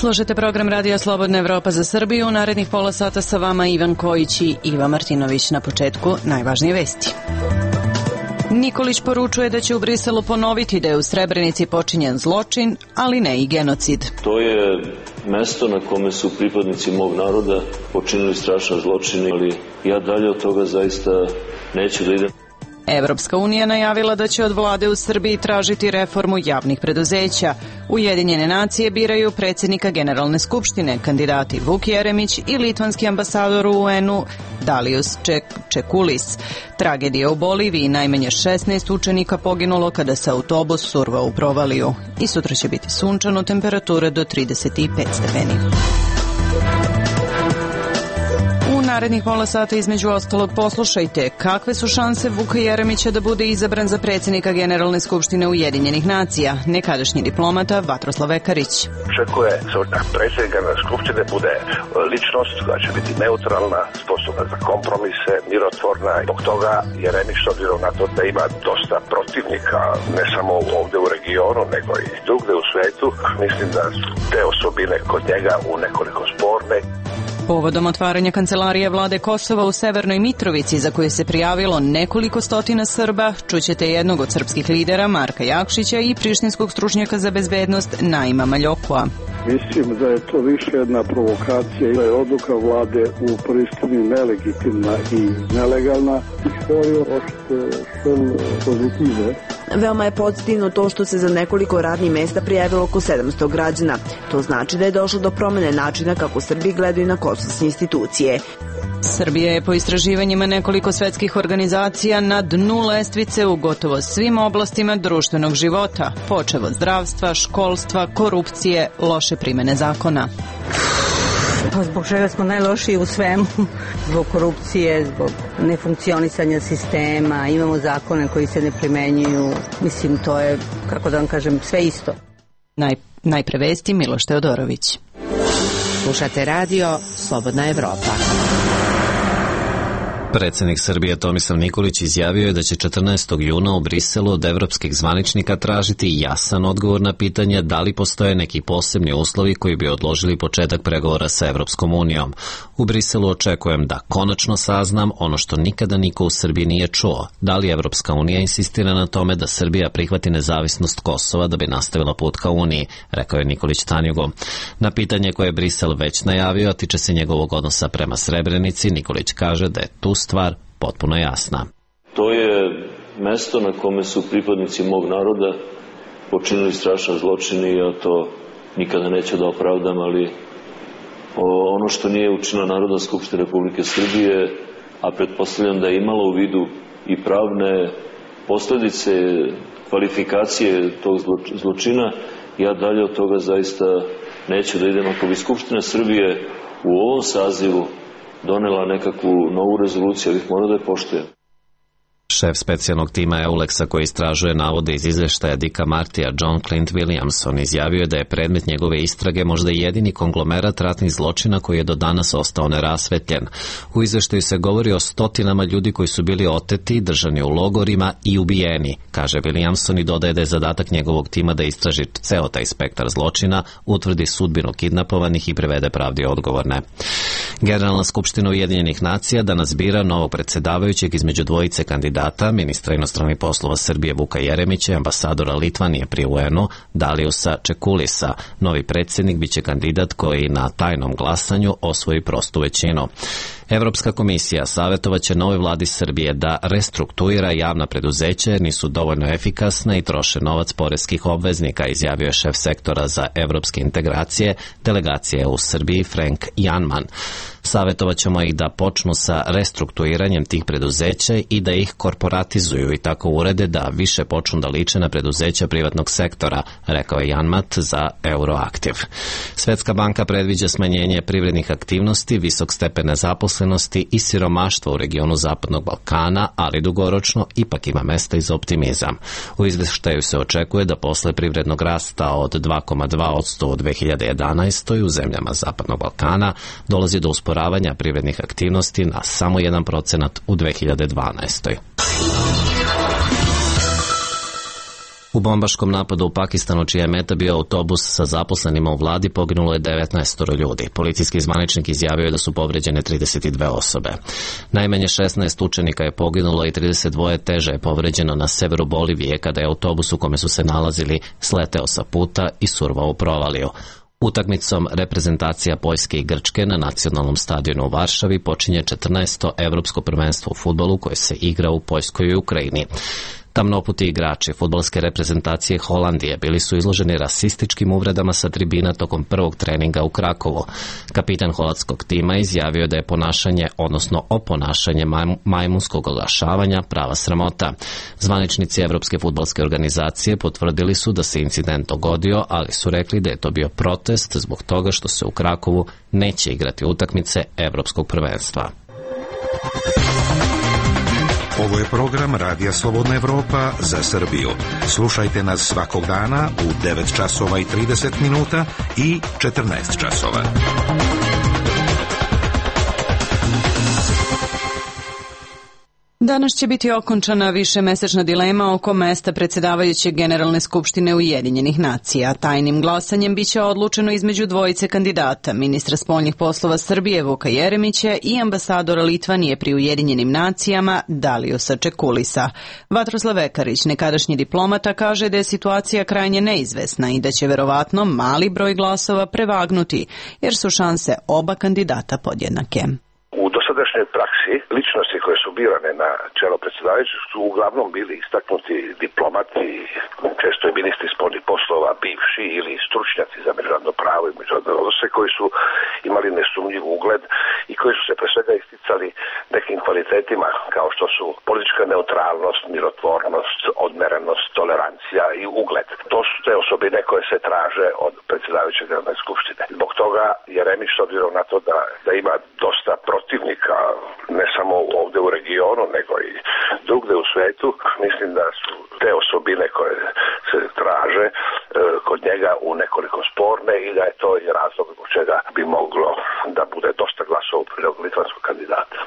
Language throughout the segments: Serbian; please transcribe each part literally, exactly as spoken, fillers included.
Slušajte program Radija Slobodna Evropa za Srbiju. U narednih pola sata sa vama Ivan Kojić i Iva Martinović. Na početku najvažnije vesti. Nikolić poručuje da će u Briselu ponoviti da je u Srebrenici počinjen zločin, ali ne i genocid. To je mesto na kome su pripadnici mog naroda počinili strašan zločin, ali ja dalje od toga zaista neću da idem. Evropska unija najavila da će od vlade u Srbiji tražiti reformu javnih preduzeća. Ujedinjene nacije biraju predsjednika Generalne skupštine, kandidati Vuk Jeremić i litvanski ambasador u U N-u Dalius Čekulis. Tragedija u Boliviji, najmanje šesnaest učenika poginulo kada se autobus survao u provaliju. I sutra će biti sunčano, temperature do trideset pet stepeni. Narednih pola sata između ostalog poslušajte kakve su šanse Vuka Jeremića da bude izabran za predsjednika Generalne skupštine Ujedinjenih nacija. Nekadašnji diplomata Vatroslav Ekarić. Očekuje se da predsjednik Generalne skupštine bude ličnost koja će biti neutralna, sposobna za kompromise, mirotvorna. Zbog toga Jeremić, s obzirom na to da ima dosta protivnika, ne samo ovdje u regionu, nego i drugdje u svijetu, mislim da te osobine kod njega u nekoliko sporne. Povodom otvaranja kancelarije vlade Kosova u Severnoj Mitrovici, za koje se prijavilo nekoliko stotina Srba, čućete jednog od srpskih lidera Marka Jakšića i prištinskog stručnjaka za bezbednost Naima Maljokua. Mislim da je to više jedna provokacija i da je odluka vlade u Prištini nelegitimna i nelegalna. Istorija ošte šel pozitive. Veoma je pozitivno to što se za nekoliko radnih mesta prijavilo oko sedamsto građana. To znači da je došlo do promene načina kako Srbi gledaju na kosovske institucije. Srbija je po istraživanjima nekoliko svetskih organizacija na dnu lestvice u gotovo svim oblastima društvenog života, počev od zdravstva, školstva, korupcije, loše primene zakona. Pa zbog čega smo najlošiji u svemu, zbog korupcije, zbog nefunkcionisanja sistema, imamo zakone koji se ne primenjuju, mislim to je, kako da vam kažem, sve isto. Naj, najpre vesti Miloš Teodorović. Slušate radio Slobodna Evropa. Predsjednik Srbije Tomislav Nikolić izjavio je da će četrnaestog juna u Briselu od evropskih zvaničnika tražiti jasan odgovor na pitanje da li postoje neki posebni uslovi koji bi odložili početak pregovora sa Evropskom unijom. U Briselu očekujem da konačno saznam ono što nikada niko u Srbiji nije čuo. Da li Evropska unija insistira na tome da Srbija prihvati nezavisnost Kosova da bi nastavila put ka Uniji, rekao je Nikolić Tanjugu. Na pitanje koje je Brisel već najavio, a tiče se njegovog odnosa prema Srebrenici, Nikolić kaže da je tu stvar potpuno jasna. To je mesto na kome su pripadnici mog naroda počinili strašan zločin i ja to nikada neću da opravdam, ali ono što nije učinila Narodna skupština Republike Srbije, a pretpostavljam da je imala u vidu i pravne posljedice, kvalifikacije tog zločina, ja dalje od toga zaista neću da idem. Ako bi Skupština Srbije u ovom sazivu donela nekakvu novu rezoluciju, ja bih morao da je poštujem. Šef specijalnog tima Euleksa koji istražuje navode iz izveštaja Dicka Martija, John Clint Williamson, izjavio je da je predmet njegove istrage možda jedini konglomerat ratnih zločina koji je do danas ostao nerasvetljen. U izveštaju se govori o stotinama ljudi koji su bili oteti, držani u logorima i ubijeni, kaže Williamson i dodaje da je zadatak njegovog tima da istraži ceo taj spektar zločina, utvrdi sudbinu kidnapovanih i prevede pravdi odgovorne. Generalna skupština Ujedinjenih nacija danas bira novog predsjedavajućeg između dvojice kandidata, ministra inostranih poslova Srbije Vuka Jeremića i ambasadora Litvanije pri U N-u Daliusa Čekulisa. Novi predsjednik biće kandidat koji na tajnom glasanju osvoji prostu većinu. Evropska komisija savjetovaće novoj vladi Srbije da restrukturira javna preduzeća jer nisu dovoljno efikasna i troše novac poreskih obveznika, izjavio je šef sektora za evropske integracije delegacije u Srbiji Frank Janman. Savjetovaćemo ih da počnu sa restrukturiranjem tih preduzeća i da ih korporatizuju i tako urede da više počnu da liče na preduzeća privatnog sektora, rekao je Janmat za Euroaktiv. Svetska banka predviđa smanjenje privrednih aktivnosti, visok stepen nezaposlenosti i siromaštva u regionu Zapadnog Balkana, ali dugoročno ipak ima mesta i za optimizam. U izveštaju se očekuje da posle privrednog rasta od dva zarez dva posto u dve hiljade jedanaestoj. u zemljama Zapadnog Balkana dolazi do usporavanja privrednih aktivnosti na samo jedan procenat u dve hiljade dvanaestoj. U bombaškom napadu u Pakistanu, čija je meta bio autobus sa zaposlenima u vladi, poginulo je devetnaest ljudi. Policijski zvaničnik izjavio je da su povređene trideset dve osobe. Najmanje šesnaest učenika je poginulo i trideset dva teže je povređeno na severu Bolivije kada je autobus u kome su se nalazili sleteo sa puta i survao u provaliju. Utakmicom reprezentacija Poljske i Grčke na nacionalnom stadionu u Varšavi počinje četrnaesto evropsko prvenstvo u fudbalu koje se igra u Poljskoj i Ukrajini. Tamnoputi igrači fudbalske reprezentacije Holandije bili su izloženi rasističkim uvredama sa tribina tokom prvog treninga u Krakovu. Kapitan holandskog tima izjavio da je ponašanje, odnosno oponašanje majmunskog oglašavanja prava sramota. Zvaničnici Evropske fudbalske organizacije potvrdili su da se incident dogodio, ali su rekli da je to bio protest zbog toga što se u Krakovu neće igrati utakmice Evropskog prvenstva. Ovo je program Radija Slobodna Evropa za Srbiju. Slušajte nas svakog dana u devet časova i trideset minuta i četrnaest časova. Danas će biti okončana višemesečna dilema oko mesta predsjedavajuće Generalne skupštine Ujedinjenih nacija. Tajnim glasanjem biće odlučeno između dvojice kandidata, ministra spoljnih poslova Srbije Vuka Jeremića i ambasadora Litvanije pri Ujedinjenim nacijama Daliusa Čekulisa. Vatroslav Vekarić, nekadašnji diplomata, kaže da je situacija krajnje neizvesna i da će verovatno mali broj glasova prevagnuti, jer su šanse oba kandidata podjednake. U dosadašnjoj praksi ličnosti koje su birane na čelo predsjedavajućeg su uglavnom bili istaknuti diplomati, često i ministri spoljnih poslova, bivši ili stručnjaci za međunarodno pravo i međunarodne odnose koji su imali nesumnjiv ugled i koji su se pre svega isticali nekim kvalitetima kao što su politička neutralnost, mirotvornost, odmerenost, tolerancija i ugled. To su te osobine koje se traže od predsjedavajućeg Generalne skupštine. Zbog toga Jeremić, s obzirom na to da, da ima dosta protivnika, ne samo ovdje u regionu, nego i drugde u svetu, mislim da su te osobine koje se traže e, kod njega u nekoliko sporne i da je to i razlog zbog čega bi moglo da bude dosta glasova u prilog litvanskog kandidata.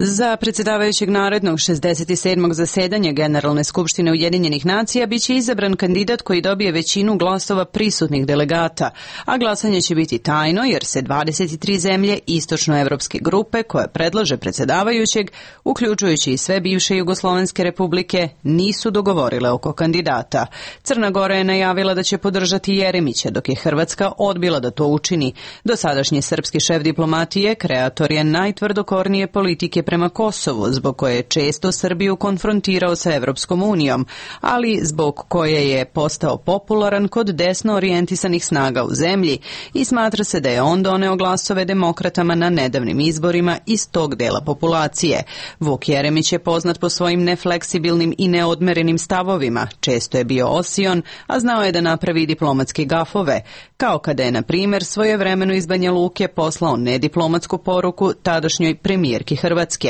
Za predsjedavajućeg narednog šezdeset sedmog zasedanja Generalne skupštine Ujedinjenih nacija biće izabran kandidat koji dobije većinu glasova prisutnih delegata, a glasanje će biti tajno jer se dvadeset tri zemlje istočnoevropske grupe koje predlaže predsjedavajućeg, uključujući i sve bivše jugoslovenske republike, nisu dogovorile oko kandidata. Crna Gora je najavila da će podržati Jeremića, dok je Hrvatska odbila da to učini. Dosadašnji srpski šef diplomatije kreator je najtvrdokornije politike prema Kosovu, zbog koje je često Srbiju konfrontirao sa Evropskom unijom, ali zbog koje je postao popularan kod desno orijentisanih snaga u zemlji i smatra se da je on doneo glasove demokratama na nedavnim izborima iz tog dela populacije. Vuk Jeremić je poznat po svojim nefleksibilnim i neodmerenim stavovima, često je bio osion, a znao je da napravi diplomatske gafove, kao kada je, na primjer, svojevremeno iz Banja Luke poslao nediplomatsku poruku tadašnjoj premijerki Hrvatske.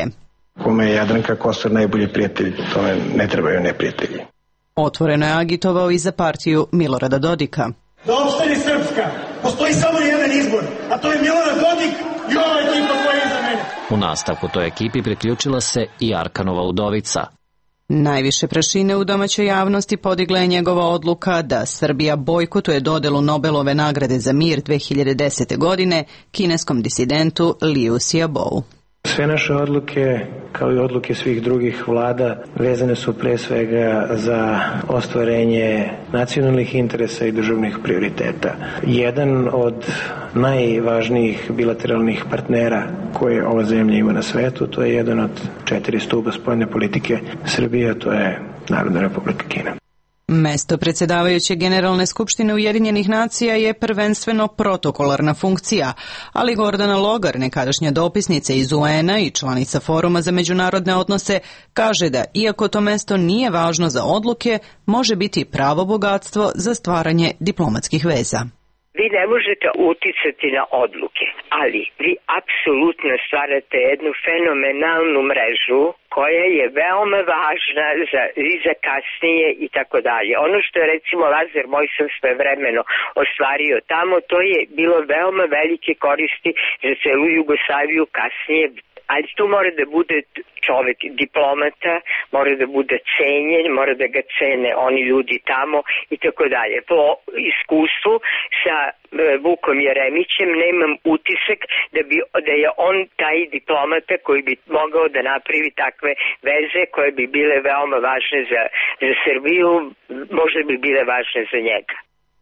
Kome je Jadranka Kosor najbolji prijatelj, tome ne trebaju neprijatelji. Otvoreno je agitovao i za partiju Milorada Dodika. Da opstane Srpska, postoji samo jedan izbor, a to je Milorad Dodik i ova ekipa koja je iza mene. U nastavku toj ekipi priključila se i Arkanova udovica. Najviše prašine u domaćoj javnosti podigla je njegova odluka da Srbija bojkotuje dodelu Nobelove nagrade za mir dve hiljade desete. godine kineskom disidentu Liu Xiaobo. Sve naše odluke, kao i odluke svih drugih vlada, vezane su pre svega za ostvarenje nacionalnih interesa i državnih prioriteta. Jedan od najvažnijih bilateralnih partnera koje ova zemlja ima na svetu, to je jedan od četiri stuba spoljne politike Srbije, to je Narodna republika Kina. Mesto predsjedavajuće Generalne skupštine Ujedinjenih nacija je prvenstveno protokolarna funkcija, ali Gordana Logar, nekadašnja dopisnica iz U N-a i članica Foruma za međunarodne odnose, kaže da, iako to mesto nije važno za odluke, može biti pravo bogatstvo za stvaranje diplomatskih veza. Vi ne možete uticati na odluke, ali vi apsolutno stvarate jednu fenomenalnu mrežu koja je veoma važna za, i za kasnije i tako dalje. Ono što je recimo Lazar Mojsan svevremeno ostvario tamo, to je bilo veoma velike koristi za celu Jugoslaviju kasnije, ali tu mora da bude čovek diplomata, mora da bude cenjen, mora da ga cene oni ljudi tamo i tako dalje. Po iskustvu sa Vukom Jeremićem nemam utisak da, bi, da je on taj diplomata koji bi mogao da napravi takve veze koje bi bile veoma važne za, za Srbiju, možda bi bile važne za njega.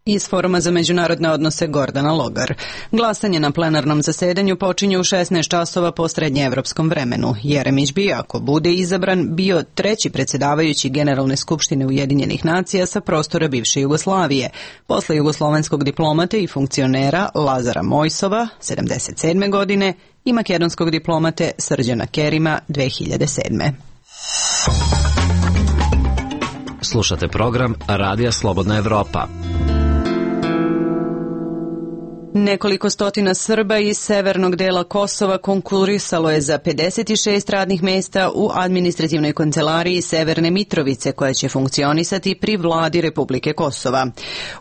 Iz Foruma za međunarodne odnose Gordana Logar. Glasanje na plenarnom zasedanju počinje u šesnaest časova po srednjeevropskom vremenu. Jeremić bi, ako bude izabran, bio treći predsjedavajući Generalne skupštine Ujedinjenih nacija sa prostora bivše Jugoslavije, posle jugoslovenskog diplomata i funkcionera Lazara Mojsova, sedamdeset sedme godine, i makedonskog diplomate Srđana Kerima, dve hiljade sedme. Slušate program Radija Slobodna Evropa. Nekoliko stotina Srba iz severnog dela Kosova konkurisalo je za pedeset šest radnih mesta u administrativnoj kancelariji Severne Mitrovice, koja će funkcionisati pri vladi Republike Kosova.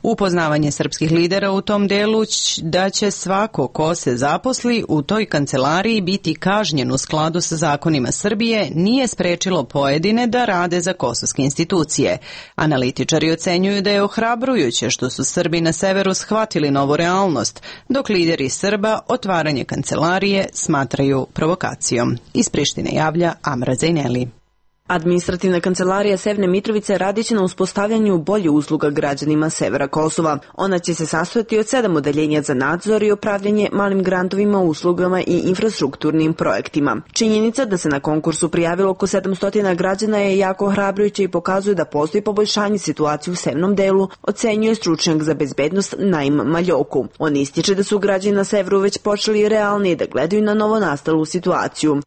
Upoznavanje srpskih lidera u tom delu da će svako ko se zaposli u toj kancelariji biti kažnjen u skladu sa zakonima Srbije nije sprečilo pojedine da rade za kosovske institucije. Analitičari ocenjuju da je ohrabrujuće što su Srbi na severu shvatili novu realnost, dok lideri Srba otvaranje kancelarije smatraju provokacijom. Iz Prištine javlja Amra Zajneli. Administrativna kancelarija Severne Mitrovice radit će na uspostavljanju bolje usluga građanima severa Kosova. Ona će se sastojati od sedam odeljenja za nadzor i upravljanje malim grantovima, uslugama i infrastrukturnim projektima. Činjenica da se na konkursu prijavilo oko sedamsto građana je jako ohrabrujuća i pokazuje da postoji poboljšanje situacije u severnom delu, ocenjuje stručnjak za bezbednost Naim Maljoku. On ističe da su građani na severu već počeli realnije da gledaju na novonastalu situaciju.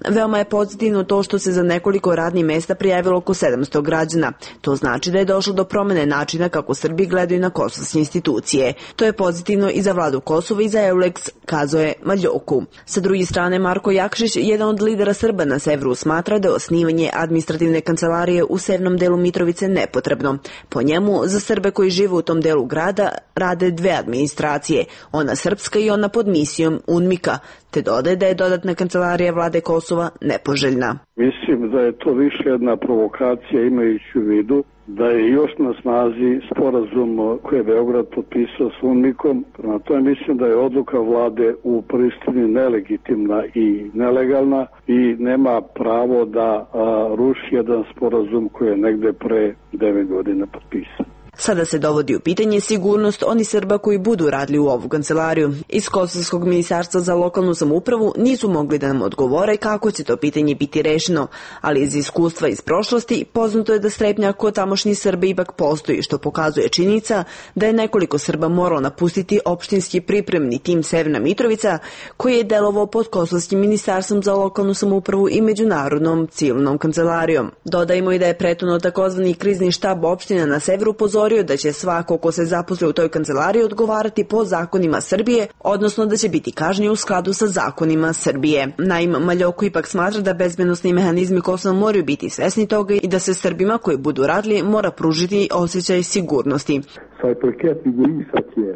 Veoma je pozitivno to što se za nekoliko radnih mesta prijavilo oko sedamsto građana. To znači da je došlo do promene načina kako Srbi gledaju na kosovske institucije. To je pozitivno i za vladu Kosova i za Euleks, kazao je Maljoku. Sa druge strane, Marko Jakšić, jedan od lidera Srba na severu, smatra da je osnivanje administrativne kancelarije u severnom delu Mitrovice nepotrebno. Po njemu, za Srbe koji žive u tom delu grada rade dve administracije, ona srpska i ona pod misijom UNMIK-a, te dodaje da je dodatna kancelarija vlade Kosova nepoželjna. Mislim da je to više jedna provokacija, imajući u vidu da je još na snazi sporazum koji je Beograd potpisao s UNMIK-om. Prema tome mislim da je odluka vlade u Prištini nelegitimna i nelegalna i nema pravo da a, ruši jedan sporazum koji je negde pre devet godina potpisan. Sada se dovodi u pitanje sigurnost oni Srba koji budu radili u ovu kancelariju. Iz Kosovskog ministarstva za lokalnu samoupravu nisu mogli da nam odgovore kako će to pitanje biti rešeno, ali iz iskustva iz prošlosti poznato je da strepnja kod tamošnji Srbi ipak postoji, što pokazuje činjenica da je nekoliko Srba moralo napustiti opštinski pripremni tim Severna Mitrovica, koji je delovao pod Kosovskim ministarstvom za lokalnu samoupravu i međunarodnom civilnom kancelarijom. Dodajmo i da je prethodno takozvani krizni štab opština na severu upozorio da će svako ko se zaposli u toj kancelariji odgovarati po zakonima Srbije, odnosno da će biti kažnjen u skladu sa zakonima Srbije. Naim Maljoko ipak smatra da bezbednosni mehanizmi Kosova moraju biti svesni toga i da se Srbima koji budu radili mora pružiti osjećaj sigurnosti.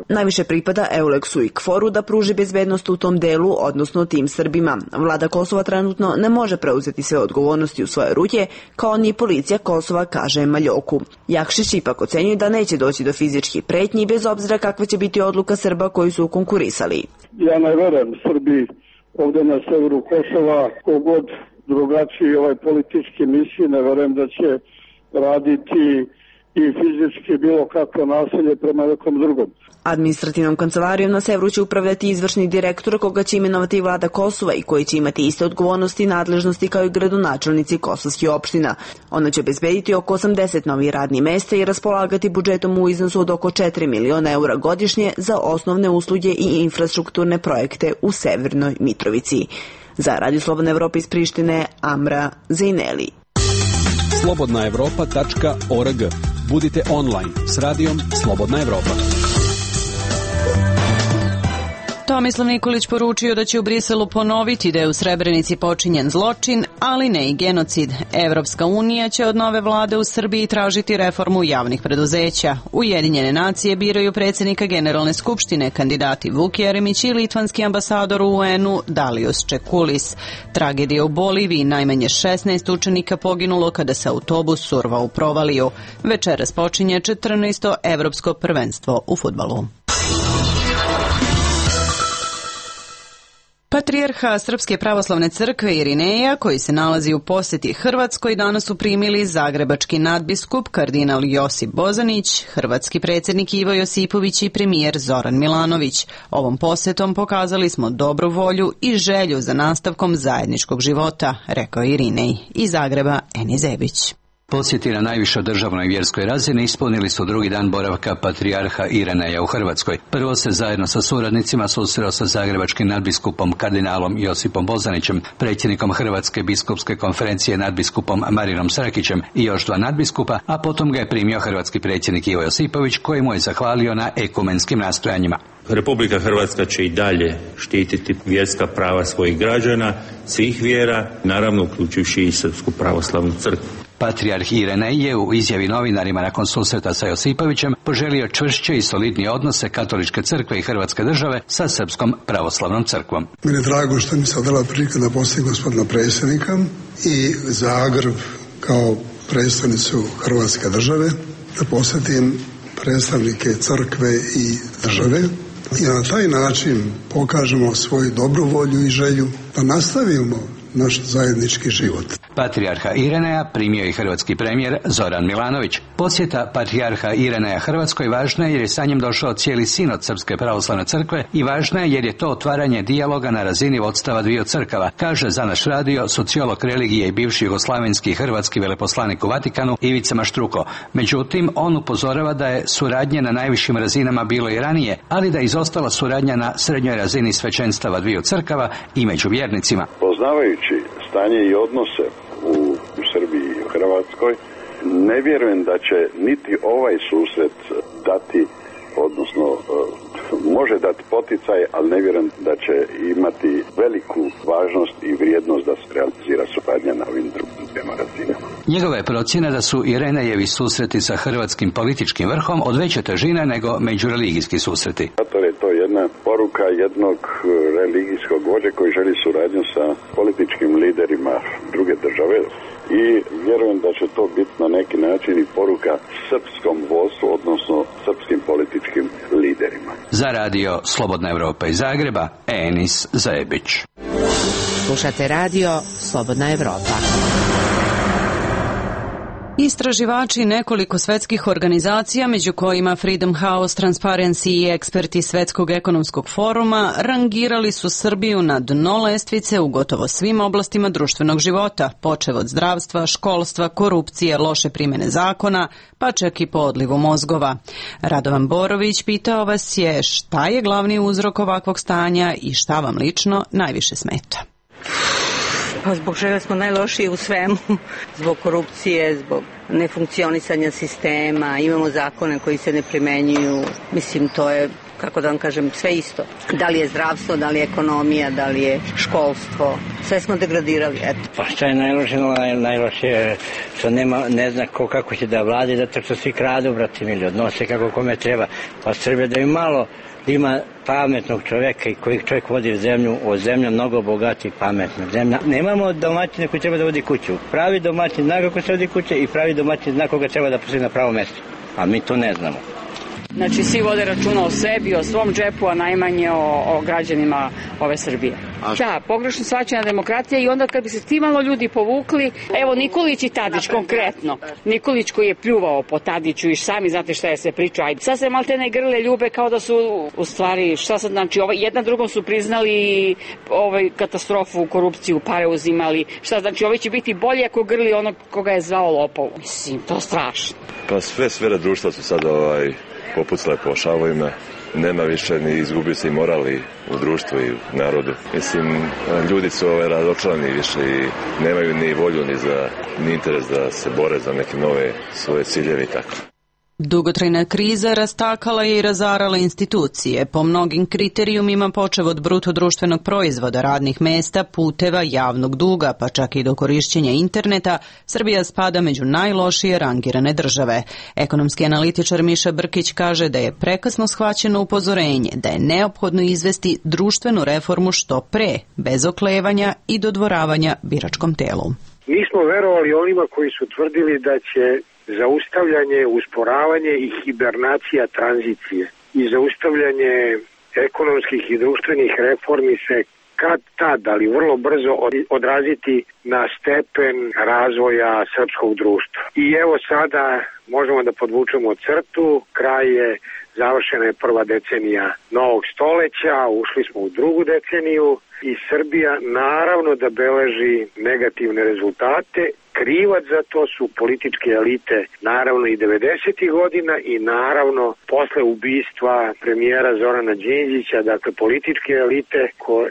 Najviše pripada Euleksu i Kforu da pruži bezbednost u tom delu, odnosno tim Srbima. Vlada Kosova trenutno ne može preuzeti sve odgovornosti u svoje ruke, kao ni policija Kosova, kaže Maljoku. Jakšić ipak ocenjuje da neće doći do fizičkih pretnji bez obzira kakva će biti odluka Srba koji su konkurisali. Ja ne verujem Srbi ovde na severu Kosova, kogod drugačiji ovaj politički misli, ne verujem da će raditi i fizički bilo kakvo nasilje prema nekom drugom. Administrativnom kancelarijom na severu će upravljati izvršni direktor koga će imenovati vlada Kosova i koji će imati iste odgovornosti i nadležnosti kao i gradonačelnici kosovskih opština. Ona će obezbediti oko osamdeset novih radnih mesta i raspolagati budžetom u iznosu od oko četiri miliona eura godišnje za osnovne usluge i infrastrukturne projekte u Severnoj Mitrovici. Za Radio Slobodna Evropa iz Prištine, Amra Zajneli. slobodna evropa tačka org. Budite online s radijom Slobodna Evropa. Tomislav Nikolić poručio da će u Briselu ponoviti da je u Srebrenici počinjen zločin, ali ne i genocid. Evropska unija će od nove vlade u Srbiji tražiti reformu javnih preduzeća. Ujedinjene nacije biraju predsjednika Generalne skupštine, kandidati Vuk Jeremić i litvanski ambasador u U N-u Dalius Čekulis. Tragedija u Boliviji, najmanje šesnaest učenika poginulo kada se autobus survao u provaliju. Večeras počinje četrnaesto evropsko prvenstvo u fudbalu. Patrijarha Srpske pravoslavne crkve Irineja, koji se nalazi u posjeti Hrvatskoj, danas su primili zagrebački nadbiskup kardinal Josip Bozanić, hrvatski predsjednik Ivo Josipović i premijer Zoran Milanović. Ovom posjetom pokazali smo dobru volju i želju za nastavkom zajedničkog života, rekao Irinej. Iz Zagreba Eni Zebić. Posjeti na najvišoj državnoj vjerskoj razini ispunili su drugi dan boravka patrijarha Irineja u Hrvatskoj. Prvo se zajedno sa suradnicima susreo sa zagrebačkim nadbiskupom kardinalom Josipom Bozanićem, predsjednikom Hrvatske biskupske konferencije nadbiskupom Marinom Srakićem i još dva nadbiskupa, a potom ga je primio hrvatski predsjednik Ivo Josipović, koji mu je zahvalio na ekumenskim nastojanjima. Republika Hrvatska će i dalje štititi vjerska prava svojih građana, svih vjera, naravno uključujući i Srpsku pravoslavnu crkvu. Patrijarh Irinej je u izjavi novinarima nakon susreta sa Josipovićem poželio čvršće i solidnije odnose Katoličke crkve i Hrvatske države sa Srpskom pravoslavnom crkvom. Meni je drago što mi se odala prilika da posjetim gospodina predsjednika i Zagreb kao predstavnicu Hrvatske države, da posjetim predstavnike crkve i države i na taj način pokažemo svoju dobru volju i želju da nastavimo naš zajednički život. Patrijarha Irineja primio i hrvatski premijer Zoran Milanović. Posjeta patrijarha Irineja Hrvatskoj važna je jer je sa njim došao cijeli sinod Srpske pravoslavne crkve i važna je jer je to otvaranje dijaloga na razini vodstava dviju crkava, kaže za naš radio sociolog religije i bivši jugoslavenski hrvatski veleposlanik u Vatikanu Ivica Maštruko. Međutim, on upozorava da je suradnje na najvišim razinama bilo i ranije, ali da je izostala suradnja na srednjoj razini svećenstava dviju crkava i među vjernicima. Poznavajući stanje i odnose u, u Srbiji i u Hrvatskoj, ne vjerujem da će niti ovaj susret dati, odnosno može dati poticaj, ali ne vjerujem da će imati veliku važnost i vrijednost da se realizira suradnja na ovim drugim dvema razinama. Njegova je procjena da su Irinejevi susreti sa hrvatskim političkim vrhom od veće težine nego međureligijski susreti. Zato je to jedna poruka jednog religijskog vođe koji želi suradnju sa političkim liderima druge države i vjerujem da će to biti na neki način i poruka srpskom vodstvu, odnosno srpskim političkim liderima. Za radio Slobodna Evropa iz Zagreba, Enis Zebić. Slušate radio Slobodna Evropa. Istraživači nekoliko svetskih organizacija, među kojima Freedom House, Transparency i eksperti Svetskog ekonomskog foruma, rangirali su Srbiju na dno lestvice u gotovo svim oblastima društvenog života, počev od zdravstva, školstva, korupcije, loše primjene zakona, pa čak i po odlivu mozgova. Radovan Borović pitao vas je šta je glavni uzrok ovakvog stanja i šta vam lično najviše smeta. Pa zbog čega smo najlošiji u svemu, zbog korupcije, zbog nefunkcionisanja sistema, imamo zakone koji se ne primenjuju, mislim to je, kako da vam kažem, sve isto. Da li je zdravstvo, da li je ekonomija, da li je školstvo, sve smo degradirali, eto. Pa šta je najloše, najloše je što nema, ne zna ko kako će da vladi, zato što svi kradu, brati mili, odnose kako kome treba, pa Srbija da im malo da ima pametnog čovjeka i koji čovjek vodi zemlju, o zemlja mnogo bogati i pametna zemlja. Nemamo domaćina koji treba da vodi kuću. Pravi domaćin zna kako se vodi kuće i pravi domaćin zna koga treba da postavi na pravo mjesto. A mi to ne znamo. Znači, svi vode računa o sebi, o svom džepu, a najmanje o, o građanima ove Srbije. Da, pogrešno shvaćena demokratija i onda kad bi se ti malo ljudi povukli, evo Nikolić i Tadić konkretno. Nikolić koji je pljuvao po Tadiću i sami znate šta je se priča. Sad se maltene grle ljube kao da su u stvari, šta sad znači, ovaj, jedna drugom su priznali ovaj, katastrofu, korupciju, pare uzimali. Šta znači, ovaj će biti bolje ako grli onog koga je zvao lopov. Mislim, to je strašno. Pa sve sfere društva su sad ovaj... popucale po šavovima, nema više ni izgubio se i morali u društvu i u narodu. Mislim, ljudi su ove razočarani više i nemaju ni volju ni za ni interes da se bore za neke nove svoje ciljeve i tako. Dugotrajna kriza rastakala je i razarala institucije. Po mnogim kriterijumima, počev od bruto društvenog proizvoda, radnih mesta, puteva, javnog duga, pa čak i do korišćenja interneta, Srbija spada među najlošije rangirane države. Ekonomski analitičar Miša Brkić kaže da je prekasno shvaćeno upozorenje da je neophodno izvesti društvenu reformu što pre, bez oklevanja i dodvoravanja biračkom telu. Mi smo verovali onima koji su tvrdili da će zaustavljanje, usporavanje i hibernacija tranzicije i zaustavljanje ekonomskih i društvenih reformi se kad tad, ali vrlo brzo odraziti na stepen razvoja srpskog društva. I evo sada možemo da podvučemo crtu, kraj je, završena je prva decenija novog stoleća, ušli smo u drugu deceniju i Srbija naravno da beleži negativne rezultate. Krivac za to su političke elite, naravno i devedesetih godina i naravno posle ubistva premijera Zorana Đinđića, dakle političke elite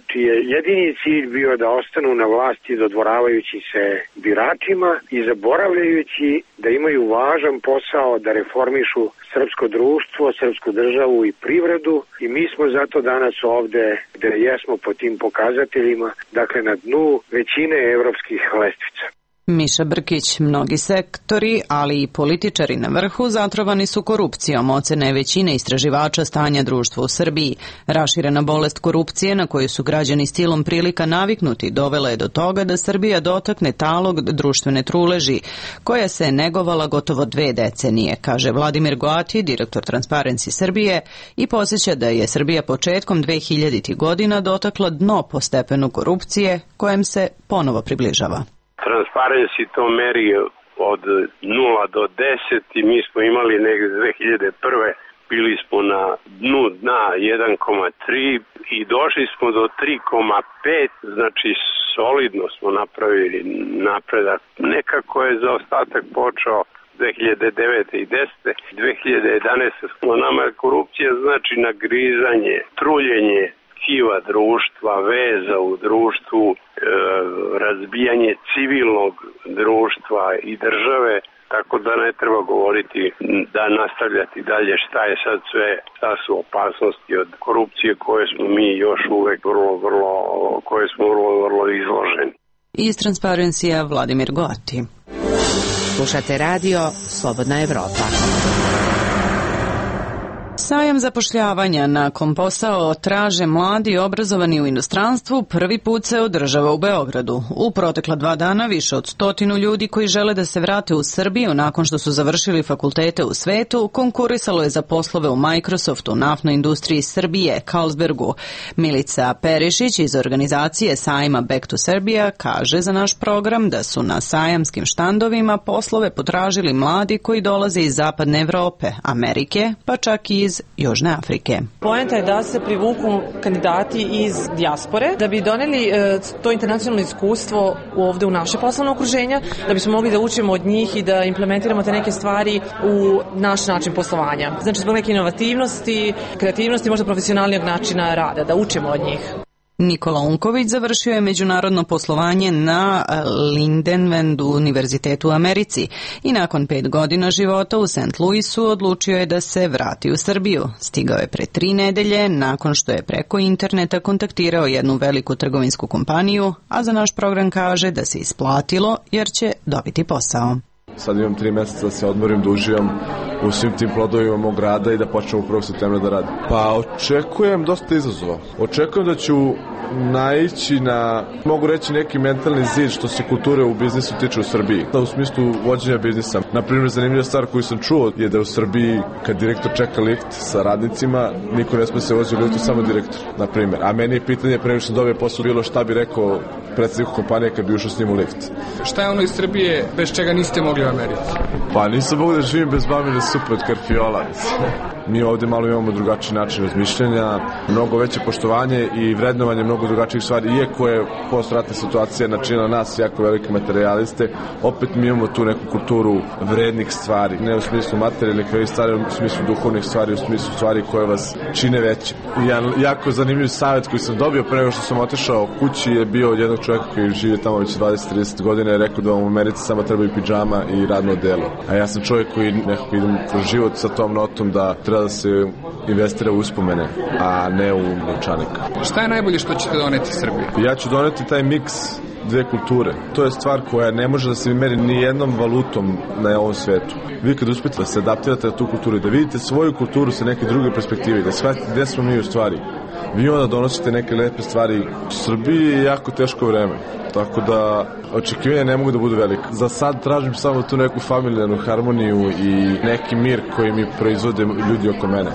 čiji je jedini cilj bio da ostanu na vlasti dodvoravajući se biračima i zaboravljajući da imaju važan posao da reformišu srpsko društvo, srpsku državu i privredu i mi smo zato danas ovde gde jesmo po tim pokazateljima, dakle na dnu većine evropskih lestvica. Miša Brkić, mnogi sektori, ali i političari na vrhu zatrovani su korupcijom, ocene većine istraživača stanja društva u Srbiji. Raširena bolest korupcije na koju su građani stilom prilika naviknuti dovela je do toga da Srbija dotakne talog društvene truleži, koja se je negovala gotovo dve decenije, kaže Vladimir Goati, direktor Transparency Srbije, i podsjeća da je Srbija početkom dvehiljaditih godina dotakla dno po stepenu korupcije, kojem se ponovo približava. Transparency to meri od nula do deset i mi smo imali negde dve hiljade prve. Bili smo na dnu dna jedan zarez tri i došli smo do tri zarez pet, znači solidno smo napravili napredak. Nekako je zaostatak počeo dve hiljade devete i desete. dve hiljade jedanaeste smo nama korupcija znači nagrizanje, truljenje tkiva društva, veza u društvu, e, razbijanje civilnog društva i države, tako da ne treba govoriti da nastavljati dalje šta je sad sve, šta su opasnosti od korupcije koje smo mi još uvek vrlo, vrlo, koje smo vrlo, vrlo izloženi. Iz Transparencija Vladimir Goati. Slušate radio Slobodna Evropa. Sajam zapošljavanja nakon posao traže mladi obrazovani u inostranstvu prvi put se održava u Beogradu. U protekla dva dana više od stotinu ljudi koji žele da se vrate u Srbiju nakon što su završili fakultete u svetu konkurisalo je za poslove u Microsoftu, naftnoj industriji Srbije, Carlsbergu. Milica Perišić iz organizacije sajma Back to Serbia kaže za naš program da su na sajamskim štandovima poslove potražili mladi koji dolaze iz zapadne Evrope, Amerike, pa čak i iz Južne Afrike. Poenta je da se privuku kandidati iz dijaspore, da bi doneli e, to internacionalno iskustvo ovde u naše poslovno okruženja, da bismo mogli da učimo od njih i da implementiramo te neke stvari u naš način poslovanja. Znači, zbog neke inovativnosti, kreativnosti, možda profesionalnijeg načina rada, da učimo od njih. Nikola Unković završio je međunarodno poslovanje na Lindenwendu univerzitetu u Americi i nakon pet godina života u Saint Louisu odlučio je da se vrati u Srbiju. Stigao je pre tri nedelje nakon što je preko interneta kontaktirao jednu veliku trgovinsku kompaniju, a za naš program kaže da se isplatilo jer će dobiti posao. Sad imam tri meseca da se odmorim, da uživam u svim tim plodovima mog rada i da počnem u prvog septembra da radim. Pa očekujem dosta izazova. Očekujem da ću naići na, mogu reći, neki mentalni zid što se kulture u biznisu tiče u Srbiji. Da, u smislu vođenja biznisa. Naprimjer, zanimljiva stvar koju sam čuo je da u Srbiji kad direktor čeka lift sa radnicima, niko ne sme se vozi u liftu, samo direktor, naprimjer. A meni je pitanje, pre nego što dobije posao, bilo šta bi rekao predsjedniku kompanije kad bi ušao s njim u lift. Šta je ono iz Srbije bez čega niste mogli u Americi? Pa nisam mogu da živim bez mamine supe od karfiola. Mi ovde malo imamo drugačiji način razmišljanja, mnogo veće poštovanje i vrednovanje mnogo drugačijih stvari. Iako je postratna situacija načinila nas jako velike materijaliste, opet mi imamo tu neku kulturu vrednih stvari. Ne u smislu materijalnih stvari, u smislu duhovnih stvari, u smislu stvari koje vas čine veće. Jedan jako zanimljiv savjet koji sam dobio pre nego što sam otišao kući je bio od jednog čovjeka koji živi tamo već dvadeset do trideset godina, je rekao da vam u Americi samo treba i pidžama i radno delo. A ja sam čovjek koji nekako idem kroz život sa tom notom da treba da se investira u uspomene, a ne u novčanik. Šta je najbolje što ćete doneti Srbiji? Ja ću doneti taj miks dve kulture. To je stvar koja ne može da se meri ni jednom valutom na ovom svetu. Vi kad uspete da se adaptirate na tu kulturu i da vidite svoju kulturu sa neke druge perspektive, da shvatite gde smo mi u stvari, vi onda donosite neke lepe stvari. U Srbiji je jako teško vreme, tako da očekivanja ne mogu da budu velike. Za sad tražim samo tu neku familijarnu harmoniju i neki mir koji mi proizvode ljudi oko mene.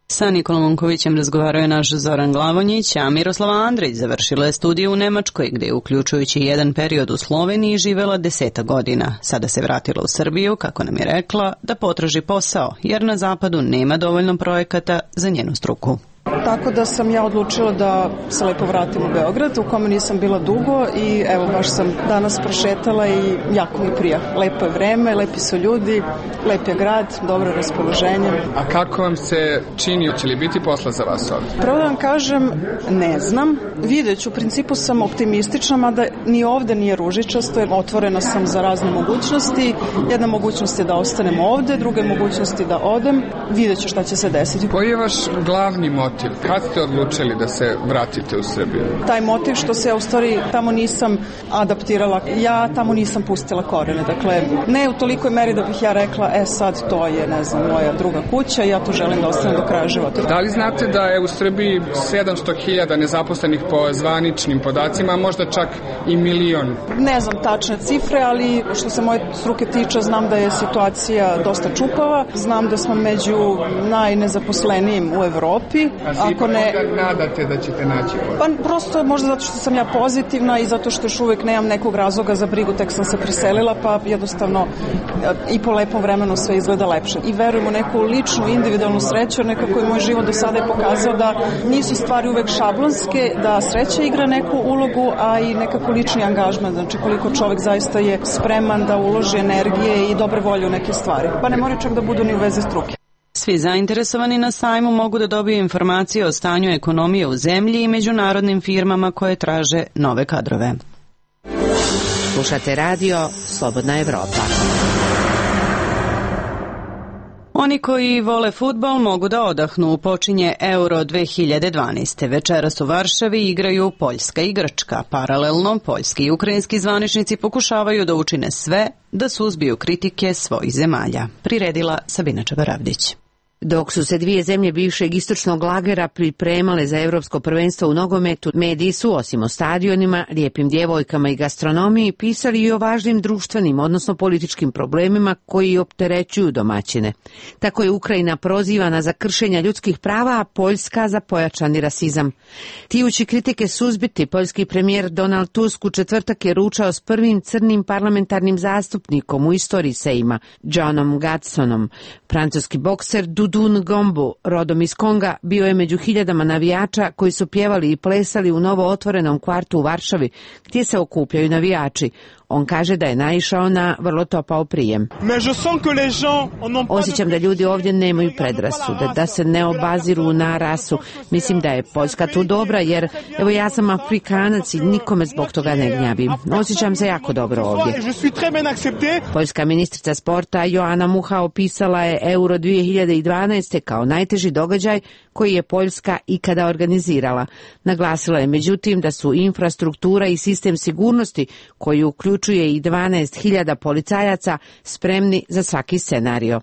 Sa Nikolom Unkovićem razgovarao je naš Zoran Glavonjić, a Miroslava Andrić završila je studiju u Nemačkoj, gde je uključujući jedan period u Sloveniji živela deseta godina. Sada se vratila u Srbiju, kako nam je rekla, da potraži posao, jer na zapadu nema dovoljno projekata za njenu struku. Tako da sam ja odlučila da se lepo vratim u Beograd, u kome nisam bila dugo i evo baš sam danas prošetala i jako mi prija. Lepo je vreme, lepi su ljudi, lep je grad, dobro raspoloženje. A kako vam se čini, će li biti posla za vas ovdje? Prvo da vam kažem, ne znam. Vidjet ću, u principu sam optimistična, mada ni ovde nije ružičasto, jer otvorena sam za razne mogućnosti. Jedna mogućnost je da ostanem ovde, druga mogućnost je da odem. Vidjet ću šta će se desiti. Koji je vaš glavni motiv? Kad ste odlučili da se vratite u Srbiju? Taj motiv što se ja u stvari tamo nisam adaptirala, ja tamo nisam pustila korene, dakle ne u tolikoj meri da bih ja rekla e sad to je, ne znam, moja druga kuća i ja tu želim da ostanem do kraja života. Da li znate da je u Srbiji sedamsto hiljada nezaposlenih po zvaničnim podacima, a možda čak i milion? Ne znam tačne cifre, ali što se moje struke tiče, znam da je situacija dosta čupava, znam da smo među najnezaposlenijim u Evropi. Ako ne nadate da ćete naći posao? Pa prosto možda zato što sam ja pozitivna i zato što još uvek nemam nekog razloga za brigu, tek sam se preselila, pa jednostavno i po lepom vremenu sve izgleda lepše. I verujem u neku ličnu, individualnu sreću, jer nekako je moj život do sada je pokazao da nisu stvari uvek šablonske, da sreća igra neku ulogu, a i nekako lični angažman, znači koliko čovek zaista je spreman da uloži energije i dobre volje u neke stvari. Pa ne mora čak da budu ni u vezi struke. Svi zainteresovani na sajmu mogu da dobiju informacije o stanju ekonomije u zemlji i međunarodnim firmama koje traže nove kadrove. Slušate radio Slobodna Evropa. Oni koji vole fudbal mogu da odahnu. Počinje Euro dve hiljade dvanaeste. Večeras u Varšavi igraju Poljska i Grčka. Paralelno, poljski i ukrajinski zvaničnici pokušavaju da učine sve da suzbiju kritike svojih zemalja. Priredila Sabina Čabaravdić. Dok su se dvije zemlje bivšeg istočnog lagera pripremale za evropsko prvenstvo u nogometu, mediji su, osim o stadionima, lijepim djevojkama i gastronomiji, pisali i o važnim društvenim, odnosno političkim problemima koji opterećuju domaćine. Tako je Ukrajina prozivana za kršenja ljudskih prava, a Poljska za pojačani rasizam. Tijući kritike suzbiti, poljski premijer Donald Tusk u četvrtak je ručao s prvim crnim parlamentarnim zastupnikom u istoriji Sejma, Johnom Gatsonom. Francuski bokser Dudun Gombu, rodom iz Konga, bio je među hiljadama navijača koji su pjevali i plesali u novo otvorenom kvartu u Varšavi, gdje se okupljaju navijači. On kaže da je naišao na vrlo topao prijem. Osjećam da ljudi ovdje nemaju predrasude, da se ne obaziru na rasu. Mislim da je Poljska tu dobra, jer evo ja sam Afrikanac i nikome zbog toga ne gnjavim. Osjećam se jako dobro ovdje. Poljska ministrica sporta Joana Mucha opisala je Euro dvije hiljade dvanaeste kao najteži događaj koji je Poljska ikada organizirala. Naglasila je međutim da su infrastruktura i sistem sigurnosti, koji uključuje i dvanaest hiljada policajaca, spremni za svaki scenario.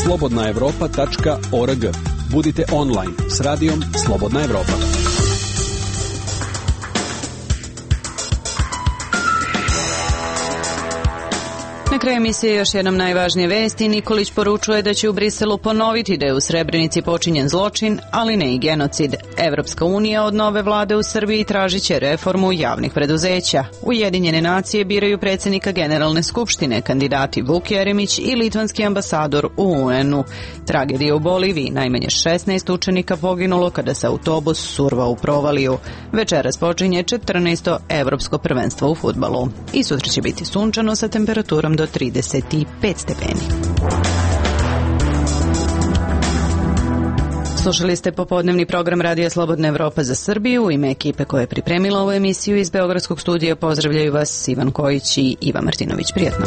slobodna evropa tačka org. Budite online s radijom Slobodna Evropa. Na kraju emisije još jednom najvažnije vesti. Nikolić poručuje da će u Briselu ponoviti da je u Srebrenici počinjen zločin, ali ne i genocid. Evropska unija od nove vlade u Srbiji tražit će reformu javnih preduzeća. Ujedinjene nacije biraju predsjednika Generalne skupštine, kandidati Vuk Jeremić i litvanski ambasador u U N-u. Tragedija u Boliviji, najmanje šesnaest učenika poginulo kada se autobus survao u provaliju. Večeras počinje četrnaesto evropsko prvenstvo u fudbalu. I sutra će biti sunčano sa temperaturom do trideset pet stepeni. Slušali ste popodnevni program Radija Slobodna Evropa za Srbiju. U ime ekipe koja je pripremila ovu emisiju iz Beogradskog studija pozdravljaju vas Ivan Kojić i Iva Martinović. Prijatno.